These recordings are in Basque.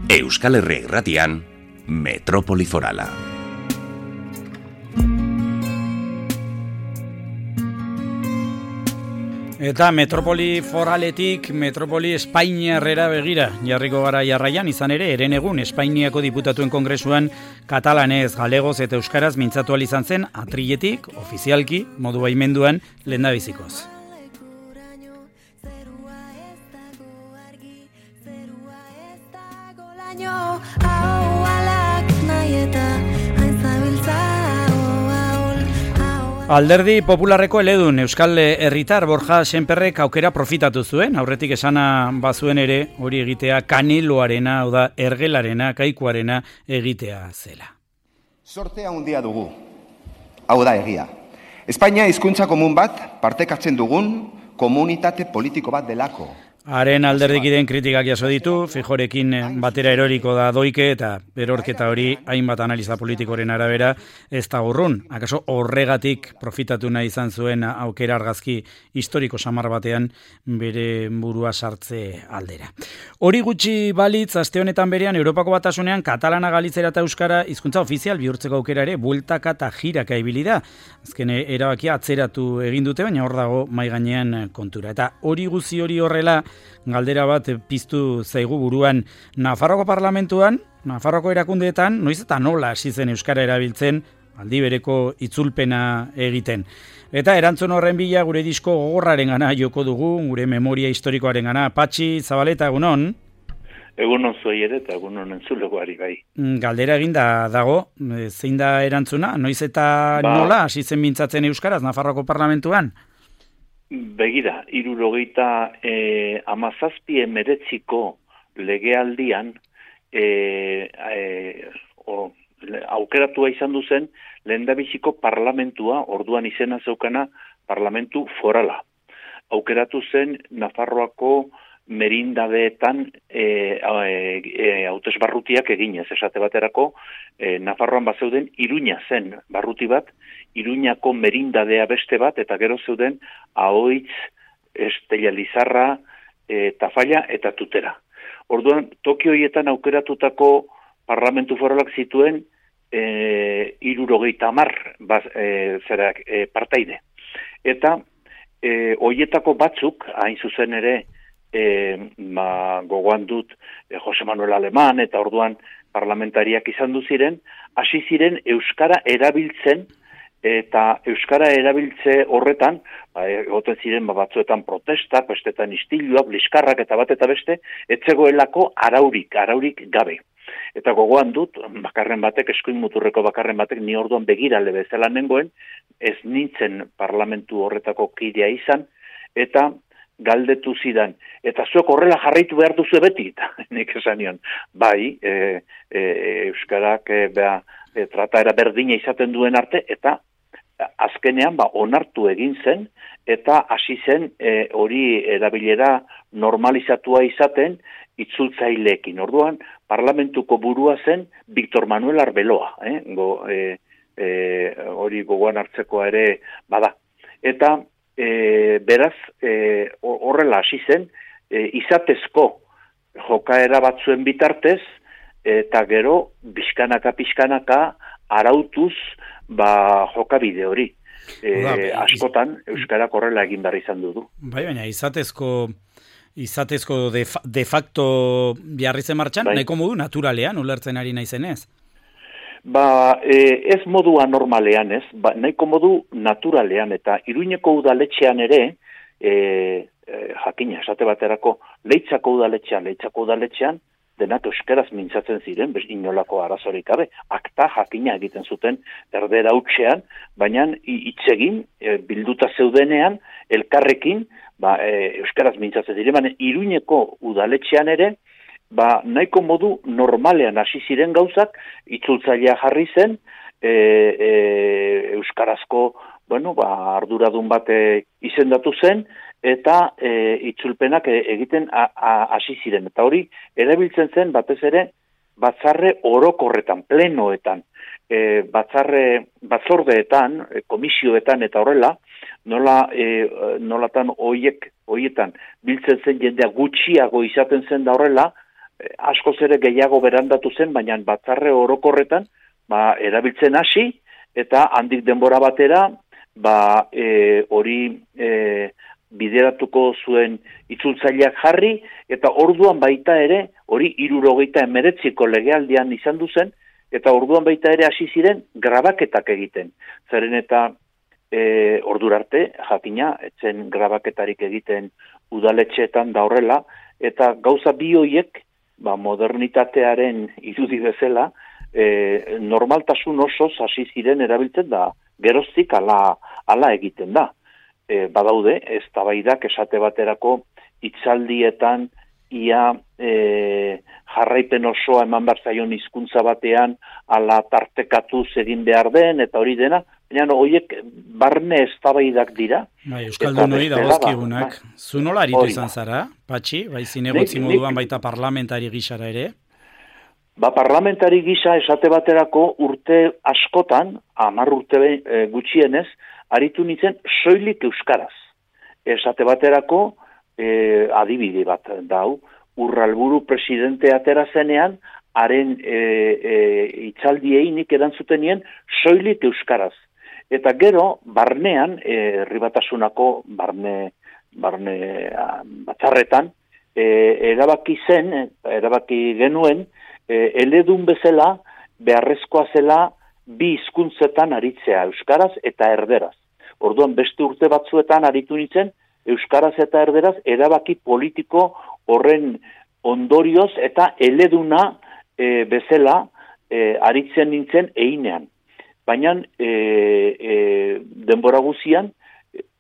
Euskal Herria Irratian, Metropoli Forala. Eta Metropoli Foraletik Metropoli Espainiarrera begira jarriko gara jarraian, izan ere, herenegun Espainiako Diputatuen Kongresuan katalanez, galegoz eta euskaraz mintzatu ahal izan zen atriletik, ofizialki, modu baimenduan, lehendabizikoz. Alderdi Popularreko eledun Euskal Herritar Borja Sémperrek aukera profitatu zuen, aurretik esana bazuen ere hori egitea kaniloarena, hau da ergelarena, kaikuarena egitea zela. Sortea handia dugu, hau da egia. Espainia hizkuntza komun bat partekatzen dugun komunitate politiko bat delako. Haren alderdikideen kritikak jaso ditu, Fijorekin batera eroriko da doike eta erorketa hori hainbat analiza politikoren arabera ez da urrun. Akaso horregatik profitatu nahi izan zuen aukera argazki historiko samar batean bere burua sartze aldera. Hori gutxi balitz, aste honetan berean Europako Batasunean katalana, galizera eta euskara hizkuntza ofizial bihurtzeko aukera ere bueltaka eta jiraka ibili da. Azken erabakia atzeratu egin dute, baina hor dago mai gainean kontura. Eta hori guzi hori horrela, galdera bat piztu zaigu buruan. Nafarroko parlamentuan, Nafarroko erakundeetan, noiz eta nola hasi zen euskara erabiltzen, aldi bereko itzulpena egiten. Eta erantzun horren bila gure disko gogorrarengana joko dugu, gure memoria historikoarengana. Patxi Zabaleta, egunon? Egunon zuei ere eta egunon entzulegoari bai. Galdera eginda dago, zein da erantzuna? Noiz eta nola hasi zen mintzatzen euskaraz Nafarroko parlamentuan? Begira, 1917 legealdian aukeratua izan duzen lehendabiziko parlamentua, orduan izena zeukana parlamentu forala. Aukeratu zen Nafarroako merindadeetan hautesbarrutiak eginez, esate baterako, Nafarroan bazeuden Iruña zen barruti bat, Iruñako merindadea beste bat, eta gero zeuden Ahoitz, Estella Lizarra, Tafalla eta Tutera. Orduan, Tokio horietan aukeratutako parlamentu foralak zituen 70 partaide. Eta horietako batzuk, hain zuzen ere, gogoan dut Jose Manuel Alemán eta orduan parlamentariak izan du ziren, hasi ziren euskara erabiltzen, eta euskara erabiltze horretan, egoten ziren batzuetan protestak, bestetan istiluak, liskarrak eta bat eta beste, etzegoelako araurik gabe. Eta gogoan dut, bakarren batek, eskuin muturreko bakarren batek, ni orduan begirale bezala nengoen, ez nintzen parlamentu horretako kidea izan, eta galdetu zidan. Eta zuek horrela jarraitu behar duzu beti, eta nik esan nion, bai, euskarak trataera berdina izaten duen arte, eta azkenean onartu egin zen, eta hasi zen hori erabilera normalizatua izaten itzultzaileekin. Orduan, parlamentuko burua zen Victor Manuel Arbeloa, hori gogoan hartzekoa ere bada. Eta beraz, horrela hasi zen, izatezko jokaera batzuen bitartez, eta gero, pixkanaka arautuz, jokabide hori. Askotan, euskarak horrela egin behar izan du. Bai, baina izatezko de facto biarri zen martxan, bai. Nahiko modu naturalean, ulertzen ari naizenez? Ez modua normalean, ez, nahiko modu naturalean, eta Iruñeko udaletxean ere, jakina, esate baterako, Leitzako udaletxean, denak euskaraz mintzatzen ziren, inolako arazorik gabe, akta jakina egiten zuten erdera hutsean, baina hitzegin, bilduta zeudenean, elkarrekin, euskaraz mintzatzen ziren, baina Iruñeko udaletxean ere, nahiko modu normalean hasi ziren gauzak, itzultzailea jarri zen, euskarazko, arduradun bat izendatu zen, eta itzulpenak egiten hasi ziren. Eta hori, erabiltzen zen batez ere, batzarre orokorretan, plenoetan, batzordeetan, komisioetan eta horrela, nolatan horietan biltzen zen jendea gutxiago izaten zen da horrela, askoz ere gehiago berandatu zen, baina batzarre orokorretan erabiltzen hasi, eta handik denbora batera, hori bideratuko zuen itzultzaileak jarri, eta orduan baita ere, hori 79ko legealdian izan duzen, eta orduan baita ere hasi ziren grabaketak egiten. Zeren eta ordurarte, jakina, etzen grabaketarik egiten udaletxeetan da horrela, eta gauza bi horiek, modernitatearen irudi bezala, normaltasun osoz hasi ziren erabiltzen da, geroztik ala egiten da. Badaude, eztabaidak esate baterako hitzaldietan ia jarraipen osoa eman behar zaion hizkuntza batean ala tartekatuz egin behar den, eta hori dena, baina horiek barne eztabaidak dira. Euskaldun hori dagozkigunak. Zu nola aritu izan zara, Patxi? Zinegotzi moduan baita parlamentari gisara ere? Parlamentari gisa esate baterako urte askotan, 10 urte gutxienez, aritu nintzen soilik euskaraz. Esate baterako, adibide bat dau, Urralburu presidente atera zenean, haren hitzaldiei nik erantzutenien soilik euskaraz. Eta gero, barnean, herribatasunako barne batzarretan, erabaki genuen, eledun bezala, beharrezkoa zela, bi hizkuntzetan aritzea, euskaraz eta erderaz. Orduan beste urte batzuetan aritu nintzen, euskaraz eta erderaz, erabaki politiko horren ondorioz eta eleduna bezala aritzen nintzen einean. Baina denbora guzian,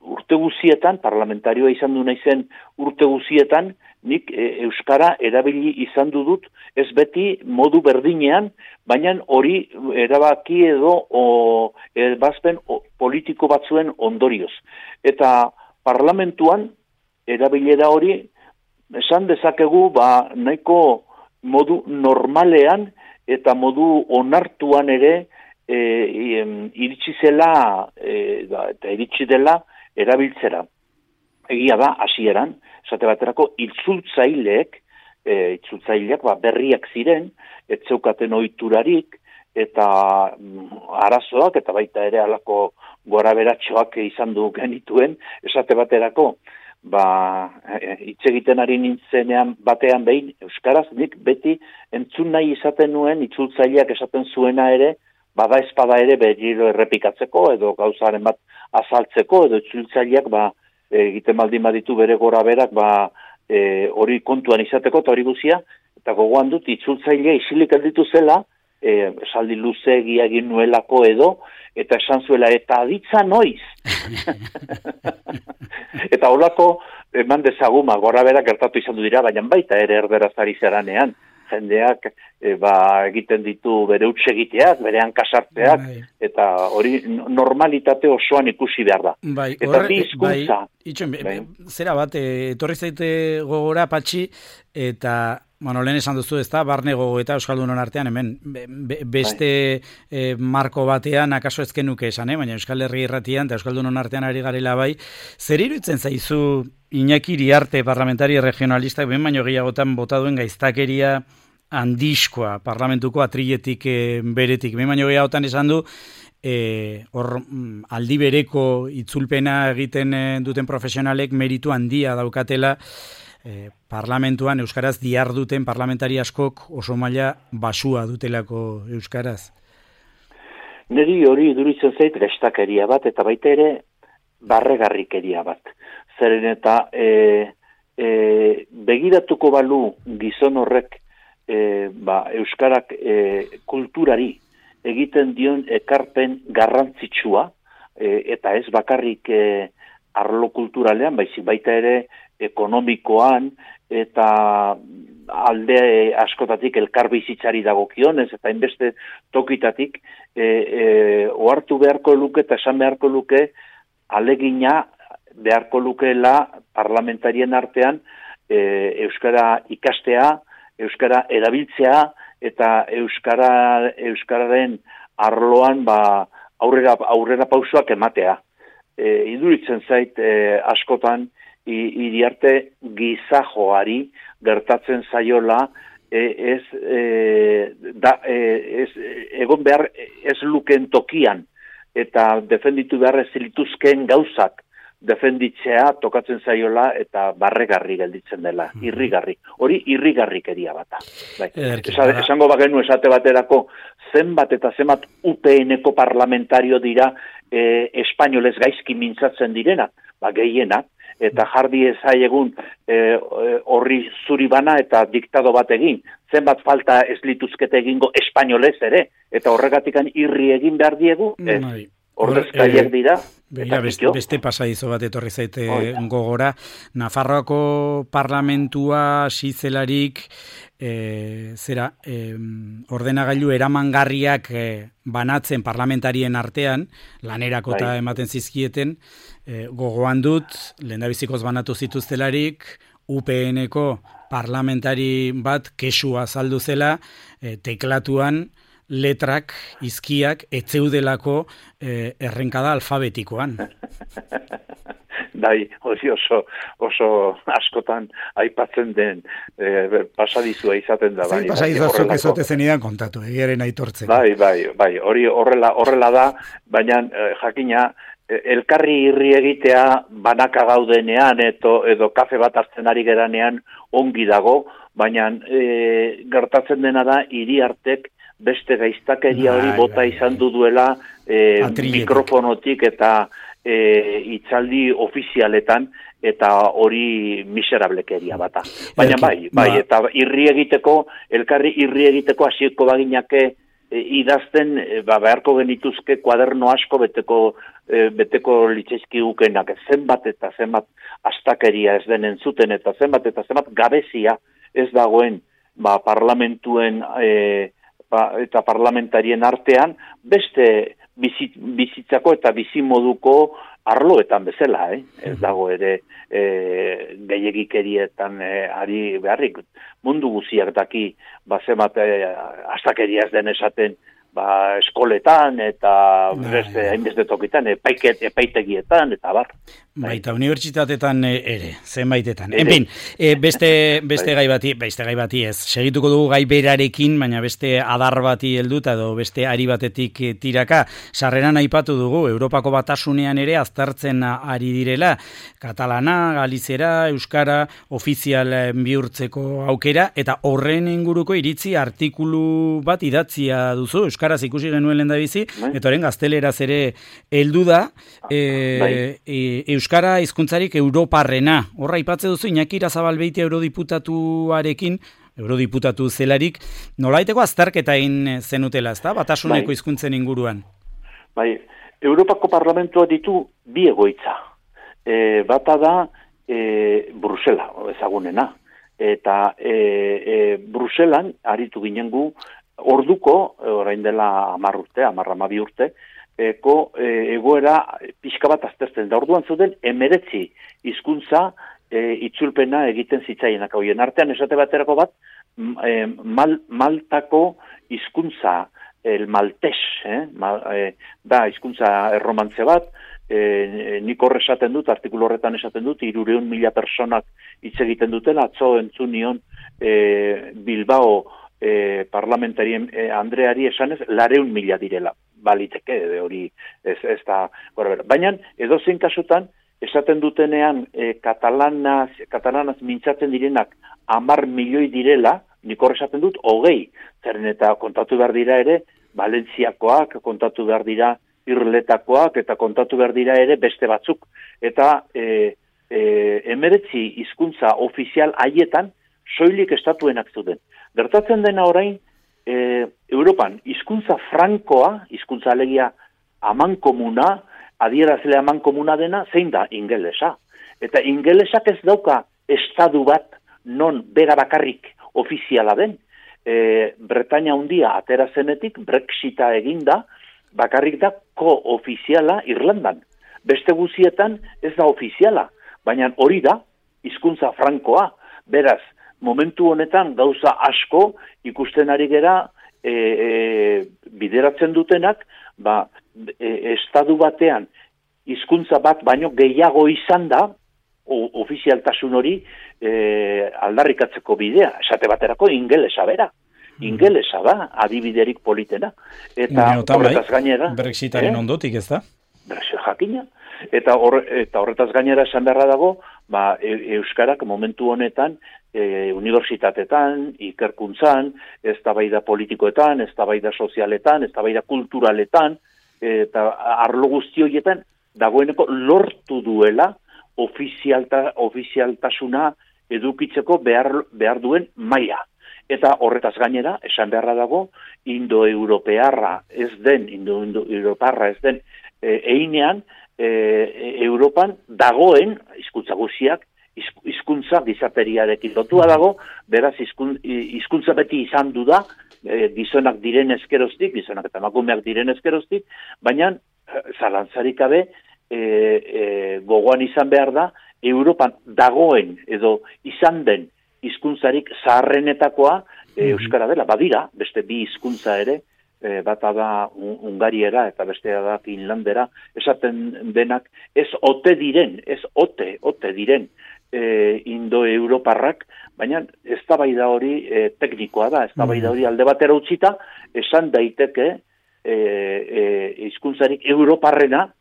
urte guzietan, parlamentarioa izan du naizen urte guzietan, nik euskara erabili izan dut, ez beti modu berdinean, baina hori erabaki edo ebazpen politiko batzuen ondorioz. Eta parlamentuan erabilera hori, esan dezakegu, nahiko modu normalean eta modu onartuan ere iritsi zela eta iritsi dela erabiltzera. Egia da, hasieran, esate baterako itzultzaileak berriak ziren, ez zeukaten ohiturarik eta arazoak eta baita ere halako goraberatxoak izan du genituen, esate baterako hitz egiten ari nintzenean batean behin euskaraz, nik beti entzun nahi izaten nuen itzultzaileak esaten zuena ere, bada espada ere berriro errepikatzeko edo gauzaren bat azaltzeko edo itzultzaileak egiten baldin baditu bere goraberak hori kontuan izateko eta hori guzia, eta gogoan dut itzultzailea isilik gelditu zela, esaldi luzeegia egin nuelako edo, eta esan zuela, eta aditza noiz. Eta holako eman dezaguma, goraberak gertatu izan du dira, baina baita ere erderaz ari zeranean. Jendeak egiten ditu bere hutsegiteak, bere hankasartzeak, eta hori normalitate osoan ikusi behar da. Eta bi hizkuntza. Zera bat, etorri zaite gogora, Patxi, eta lehen esan duzu, ez da, barne gogo eta Euskaldunon artean, hemen, beste marko batean, akaso ezkenuke esan, baina Euskal Herri Irratian eta Euskaldunon artean ari garela bai, zer iruditzen zaizu Iñaki Iriarte parlamentari regionalistak, ben baino gehiagotan bota duen gaiztakeria handiskoa parlamentuko atriletik beretik, ben baino gehiagotan esan du, aldi bereko itzulpena egiten duten profesionalek meritu handia daukatela, parlamentuan euskaraz diharduten parlamentari askok oso maila basua dutelako euskaraz. Neri hori iduritzen zait gaiztakeria bat eta baita ere barregarrikeria bat. Zeren eta begiratuko balu gizon horrek euskarak kulturari egiten dion ekarpen garrantzitsua eta ez bakarrik arlo kulturalean, baizik baita ere ekonomikoan eta alde askotatik elkarbizitzari dagokionez eta inbeste tokitatik ohartu beharko luke eta esan beharko luke alegina beharko lukeela parlamentarien artean euskara ikastea, euskara erabiltzea eta euskararen arloan aurrera pausoak ematea. Iduritzen zait askotan Iriarte gizajoari gertatzen zaiola egon behar ez luken tokian eta defenditu behar ez lituzkeen gauzak defenditzea tokatzen zaiola eta barregarri gelditzen dela, irrigarri. Hori irrigarrikeria bata. Bai. Esango bagenu esate baterako zenbat eta zenbat UPN-eko parlamentario dira espainolez gaizki mintzatzen direnak, gehienak, eta jardi ezaiegun horri zuri bana eta diktado bat egin. Zenbat falta ez lituzkete egingo espainolez ere, eta horregatikan irri egin behar diegu, ordezkaiak dira. Beste pasadizo bat etorri zaite gogora. Nafarroako parlamentua zelarik ordenagailu eramangarriak banatzen parlamentarien artean, lanerako eta ematen zizkieten, gogoan dut, lehendabizikoz banatu zituztelarik, UPN-eko parlamentari bat kesua azaldu zela, teklatuan letrak, izkiak, etzeudelako errenkada alfabetikoan. Bai, oso askotan aipatzen den pasadizua izaten da. Zein pasadizua zuk ezote zenidan kontatu, egiaren aitortzen. Bai, hori horrela da, baina jakina, elkarri irri egitea banaka gaudenean edo kafe bat hartzen ari geranean ongi dago, baina gertatzen dena da hiri artek beste gaiztakeria hori bota izan duela mikrofonotik eta itzaldi ofizialetan eta hori miserablekeria bata. Baina bai, eta elkarri irri egiteko hasieko baginake idazten beharko genituzke kuaderno asko beteko litzaizkigukenak, zenbat eta zenbat astakeria ez denen zuten eta zenbat gabezia ez dagoen parlamentuen eta parlamentarien artean beste bizitzako eta bizimoduko arloetan bezala, ez dago ere gehiagikerietan ari beharrik. Mundu guziak daki, zenbat astakeria ez den esaten, eskoletan eta hainbeste tokitan, epaitegietan eta bar. Baita, unibertsitatetan ere, zenbaitetan. En fin, beste gai bati ez. Segituko dugu gai berarekin, baina beste adar bati helduta edo beste ari batetik tiraka. Sarreran aipatu dugu, Europako Batasunean ere aztertzen ari direla. Katalana, galizera, euskara, ofizial bihurtzeko aukera, eta horren inguruko iritzi artikulu bat idatzia duzu, euskaraz ikusi genuen lehendabizi, eta horren gazteleraz ere heldu da, euskara hizkuntzarik europarrena. Horra aipatze duzu Iñaki Irazabalbeiti eurodiputatu zelarik, nolaiteko azterketa egin zenutela, ezta? Batasuneko hizkuntzen inguruan. Bai, Europako Parlamentua ditu bi egoitza. Bata da Brusela, ezagunena. Eta Bruselan aritu ginen gu orduko, orain dela 12 urte, egoera pixka bat aztertzen da. Orduan zuten 19 hizkuntza itzulpena egiten zitzaienak. Hoien artean esate baterako bat, Maltako hizkuntza, el maltes, da hizkuntza erromantze bat, nik horre esaten dut, artikulu horretan esaten dut, 300.000 personak hitz egiten dutela, atzo entzun nion Bilbao parlamentarien Andreari esanez, 400.000 direla. Baliteke, hori ez da, baina edozein kasutan, esaten dutenean katalanaz mintzatzen direnak 10 milioi direla, nik hor esaten dut 20, zeren eta kontatu behar dira ere, Valentziakoak, kontatu behar dira Irletakoak, eta kontatu behar dira ere beste batzuk. Eta 19 hizkuntza ofizial haietan, soilik estatuenak zuten. Gertatzen dena orain, Europan hizkuntza frankoa, hizkuntza alegia amankomuna, adierazle amankomuna dena, zein da ingelesa. Eta ingelesak ez dauka estadu bat non bera bakarrik ofiziala den. Bretaña handia atera zenetik, Brexita eginda, bakarrik da ko-ofiziala Irlandan. Beste guzietan ez da ofiziala, baina hori da hizkuntza frankoa. Beraz, momentu honetan gauza asko ikusten ari gera bideratzen dutenak, estadu batean hizkuntza bat baino gehiago izan da, ofizialtasun hori aldarrikatzeko bidea, esate baterako ingelesa bera. Ingelesa da, adibiderik politena. Eta horretaz gainera... Brexitaren ondotik, ez da? Brexit jakina. Eta horretaz gainera esan beharra dago, Euskarak momentu honetan, unibertsitatetan, ikerkuntzan, eztabaida politikoetan, eztabaida sozialetan, eztabaida kulturaletan, eta arlo guzti horietan, dagoeneko lortu duela ofizialtasuna edukitzeko behar duen maila. Eta horretaz gainera, esan beharra dago, indoeuroparra ez den, einean, Europan dagoen, hizkuntza guziak, hizkuntza gizateriarekin lotua dago, beraz hizkuntza beti izan du da, gizonak diren ezkeroztik, gizonak eta emakumeak diren ezkeroztik, baina zalantzarik gabe gogoan izan behar da, Europan dagoen edo izan den hizkuntzarik zaharrenetakoa euskara dela, badira, beste bi hizkuntza ere, bata da Ungariera eta bestea da Finlandera, esaten denak ez ote diren indoeuroparrak, baina eztabaida hori teknikoa da, eztabaida hori alde batera utzita, esan daiteke hizkuntzarik europarrena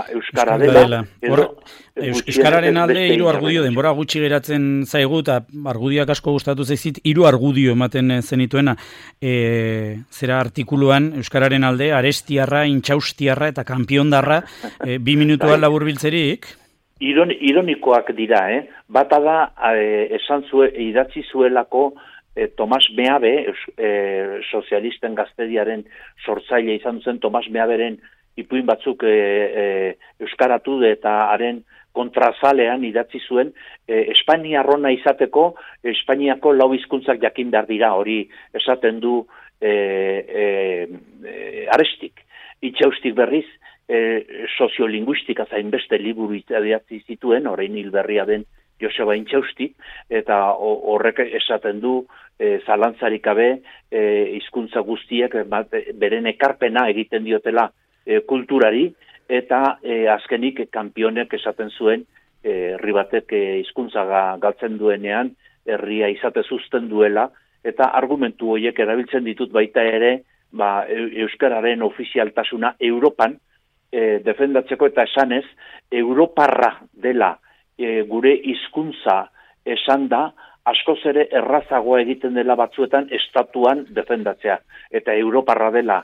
euskara dela. Euskararen alde 3 argudio denbora gutxi geratzen zaigu eta argudioak asko gustatu zaizit 3 argudio ematen zenituena. Zera artikuluan euskararen alde arestiarra, intxaustiarra eta kanpiondarra 2 minutuan laburbiltzerik. Ironikoak dira, Bata da idatzi zuelako Tomas Meabe, sozialisten gaztediaren sortzaile izan zen Tomas Meaberen ipuin batzuk euskaratu eta haren kontrazalean idatzi zuen Espainiarrona izateko Espainiako 4 hizkuntzak jakin behar dira, hori esaten du Arestik. Itxaustik berriz soziolinguistika zainbeste liburu idatzi zituen, orain hil berria den Joseba Intxausti, eta horrek esaten du zalantzarik gabe hizkuntza guztiek beren ekarpena egiten diotela kulturari, eta azkenik kanpionek esaten zuen herri batek hizkuntza galtzen duenean herria izate zuzten duela, eta argumentu horiek erabiltzen ditut baita ere euskararen ofizialtasuna Europan defendatzeko eta esanez europarra dela gure hizkuntza esan da askoz ere errazagoa egiten dela batzuetan estatuan defendatzea, eta europarra dela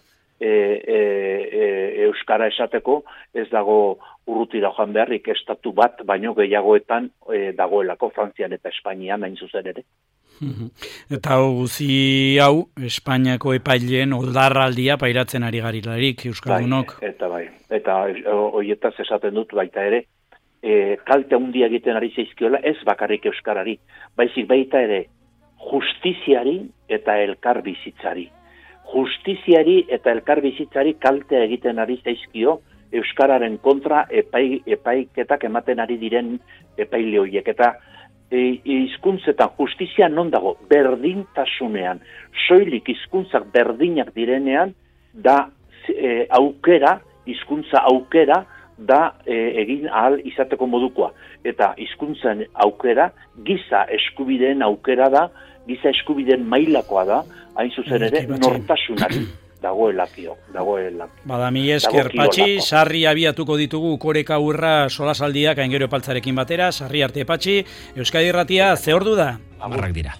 euskara esateko ez dago urrutira joan beharrik, estatu bat baino gehiagoetan dagoelako Frantzian eta Espainian hain zuzen ere. Eta guzi hau Espainiako epaileen oldarraldia pairatzen ari garilarik euskaldunok. Eta horietaz esaten dut baita ere, kalte handia egiten ari zaizkiola ez bakarrik euskarari, baizik baita ere justiziari eta elkarbizitzari. Justiziari eta elkarbizitzari kaltea egiten ari zaizkio euskararen kontra epaiketak ematen ari diren epaile horiek. Eta hizkuntzetan justizia non dago? Berdintasunean. Soilik hizkuntzak berdinak direnean da aukera, hizkuntza aukera da egin ahal izateko modukoa. Eta hizkuntzen aukera, giza eskubideen aukera da, giza eskubideen mailakoa da, hain zuzen ere nortasunari dagoelakio. Bada, mi esker, Patxi, sarri abiatuko ditugu koreka urra solasaldiak aingero paltzarekin batera, sarri arte Patxi, Euskadi Irratia, ze ordu da? 10 dira.